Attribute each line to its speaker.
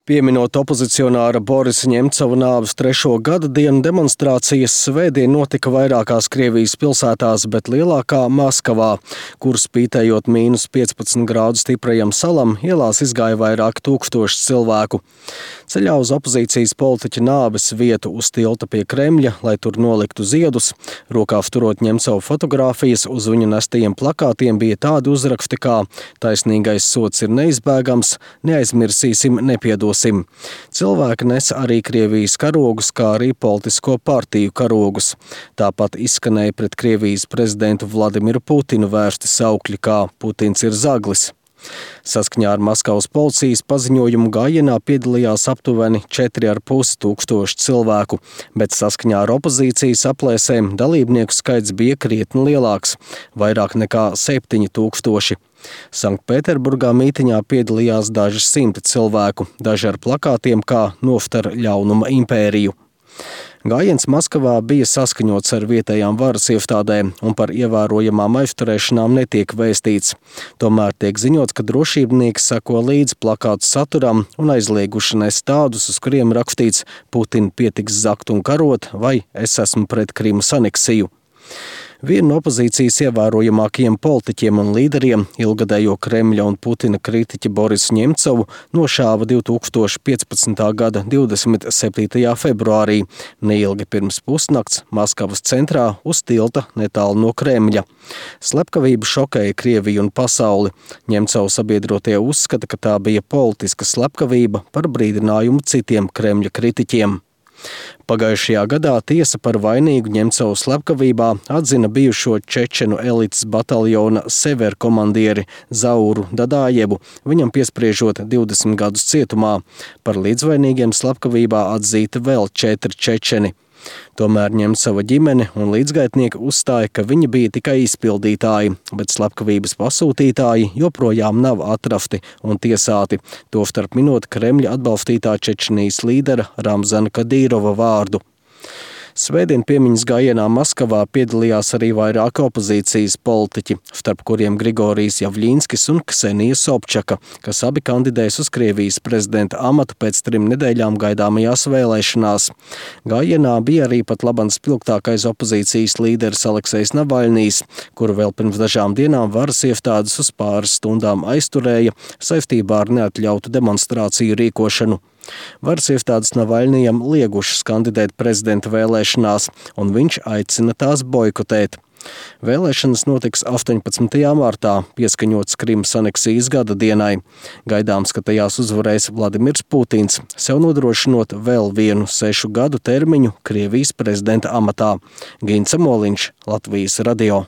Speaker 1: Pieminot opozicionāra Borisa Ņemcova nāves 3. gada dienu, demonstrācijas svētdien notika vairākās Krievijas pilsētās, bet lielākā Maskavā, kur spītējot -15 grādu stiprajam salam, ielās izgāja vairāk tūkstoši cilvēku. Ceļā uz opozīcijas politiķa nāves vietu uz tilta pie Kremļa, lai tur noliktu ziedus, rokās turot Ņemcova fotogrāfijas, uz viņu nestajiem plakātiem bija tādi uzraksti kā "Taisnīgais sods ir neizbēgams, neaizmirsīsim, nepiedosim". Cilvēki nes arī Krievijas karogus, kā arī politisko partiju karogus. Tāpat izskanēja pret Krievijas prezidentu Vladimiru Putinu vērsti saukļi kā "Putins ir zaglis". Saskaņā ar Maskavas policijas paziņojumu gājienā piedalījās aptuveni 4,5 tūkstoši cilvēku, bet saskaņā ar opozīcijas aplēsēm dalībnieku skaits bija krietni lielāks – vairāk nekā 7 tūkstoši. Sanktpēterburgā mītiņā piedalījās daži simti cilvēku, daži ar plakātiem kā "Noftar ļaunuma impēriju". Gājiens Maskavā bija saskaņots ar vietējām varas iestādēm un par ievērojamām aizturēšanām netiek vēstīts. Tomēr tiek ziņots, ka drošībnieki seko līdz plakātu saturam un aizlieguši nes tādus, uz kuriem rakstīts "Putinu pietiks zakt un karot" vai "Es esmu pret Krimas aneksiju". Vienu no opozīcijas ievērojamākajiem politiķiem un līderiem, ilgadējo Kremļa un Putina kritiķi Borisu Ņemcovu, nošāva 2015. gada 27. februārī, neilgi pirms pusnakts Maskavas centrā uz tilta netālu no Kremļa. Slepkavība šokēja Krieviju un pasauli. Ņemcova sabiedrotie uzskata, ka tā bija politiska slepkavība par brīdinājumu citiem Kremļa kritiķiem. Pagājušajā gadā tiesa par vainīgu Ņemcova slepkavībā atzina bijušo čečenu elites bataljona Sever komandieri Zauru Dadājevu, viņam piespriežot 20 gadus cietumā. Par līdzvainīgiem slepkavībā atzīti vēl 4 čečeni. Tomēr Ņemcova ģimene un līdzgaitnieki uzstāja, ka viņi bija tikai izpildītāji, bet slepkavības pasūtītāji joprojām nav atrasti un tiesāti, tostarp minot Kremļa atbalstītā Čečenijas līdera Ramzana Kadīrova vārdu. Svētdien piemiņas gājienā Maskavā piedalījās arī vairāki opozīcijas politiķi, starp kuriem Grigorijs Javļinskis un Ksenija Sobčaka, kas abi kandidēs uz Krievijas prezidenta amatu pēc 3 nedēļām gaidāmajās vēlēšanās. Gājienā bija arī pat labam spilgtākais opozīcijas līderis Aleksejs Navaļnijs, kuru vēl pirms dažām dienām varas iestādes uz pāris stundām aizturēja saistībā ar neatļautu demonstrāciju rīkošanu. Varas iestādes Navaļnijam liegušas kandidēt prezidenta vēlēšanās, un viņš aicina tās boikotēt. Vēlēšanas notiks 18. martā, pieskaņots Krimas aneksijas gada dienai. Gaidāms, ka tajās uzvarēs Vladimirs Putins, sev nodrošinot vēl vienu 6 gadu termiņu Krievijas prezidenta amatā. Gints Moliņš, Latvijas radio.